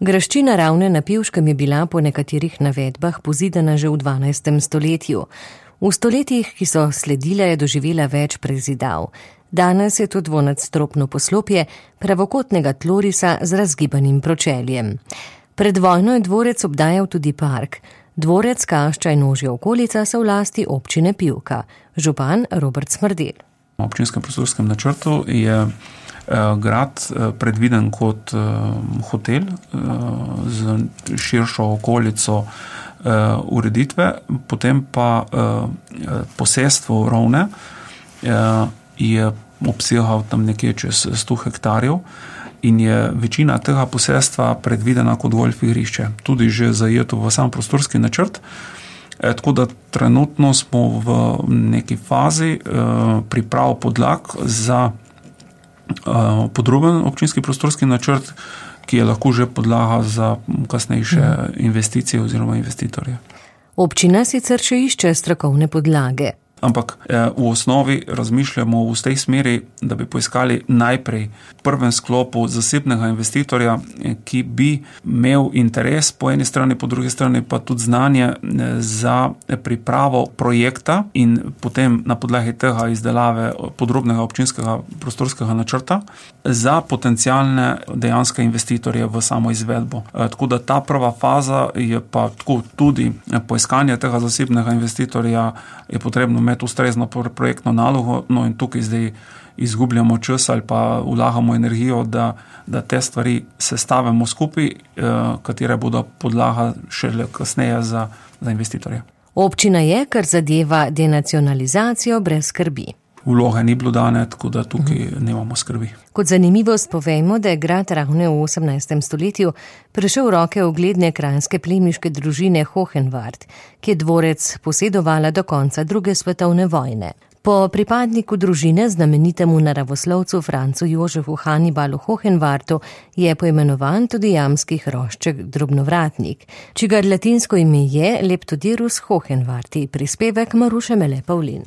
Graščina Ravne na Pivškem je bila po nekaterih navedbah pozidana že v 12. stoletju. V stoletjih, ki so sledile, je doživela več prezidav. Danes je to dvonadstropno poslopje pravokotnega tlorisa z razgibanim pročeljem. Pred vojno je dvorec obdajal tudi park. Dvorec, Kašča in ožja okolica so v lasti občine Pivka. Župan Robert Smrdelj. V občinskem prostorskem načrtu je grad predviden kot hotel z širšo okolico ureditve, potem pa posestvo Ravne je obsegal tam nekje čez 100 hektarjev in je večina tega posestva predvidena kot golf igrišče, tudi že zajeto v sam prostorski načrt. Tako da trenutno smo v neki fazi priprav podlag za podroben občinski prostorski načrt, ki je lahko že podlaga za kasnejše investicije oziroma investitorje. Občina sicer še išče strokovne podlage. Ampak v osnovi razmišljamo v tej smeri, da bi poiskali najprej v prvem sklopu zasebnega investitorja, ki bi imel interes po eni strani, po drugi strani pa tudi znanje za pripravo projekta in potem na podlagi tega izdelave podrobnega občinskega prostorskega načrta za potencialne dejanske investitorje v samo izvedbo. Tako da ta prva faza je pa tako tudi poiskanje tega zasebnega investitorja je potrebno imeti ustrezno projektno nalogo, no in tukaj zdaj izgubljamo čas ali pa vlagamo energijo, da te stvari sestavimo skupaj, katere bodo podlaga šele kasneje za investitorje. Občina je, kar zadeva denacionalizacijo, brez skrbi. Vloge ni bilo dane, tako da tukaj nemamo skrbi. Kot zanimivost povejmo, da je grad Ravne v 18. stoletju prešel v roke ugledne kranjske plemiške družine Hohenwart, ki je dvorec posedovala do konca druge svetovne vojne. Po pripadniku družine, znamenitemu naravoslovcu Francu Jožefu Hannibalu Hohenwartu, je poimenovan tudi jamski hrošček drobnovratnik, čigar latinsko ime je Leptodirus Hohenwarti, prispevek Maruše Mele Pavlin.